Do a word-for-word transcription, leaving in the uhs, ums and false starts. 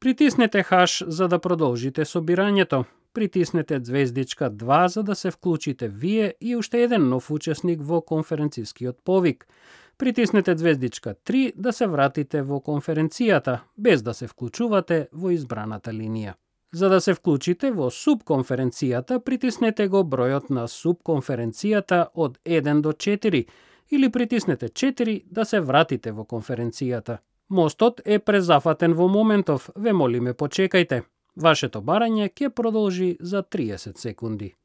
Притиснете хаш за да продолжите собирањето. Притиснете звездичка два за да се вклучите вие и уште еден нов учесник во конференцискиот повик. Притиснете звездичка три да се вратите во конференцијата, без да се вклучувате во избраната линија. За да се вклучите во субконференцијата, притиснете го бројот на субконференцијата од еден до четири или притиснете четири да се вратите во конференцијата. Мостот е презафатен во моментов, ве молиме почекајте. Вашето барање ќе продолжи за триесет секунди.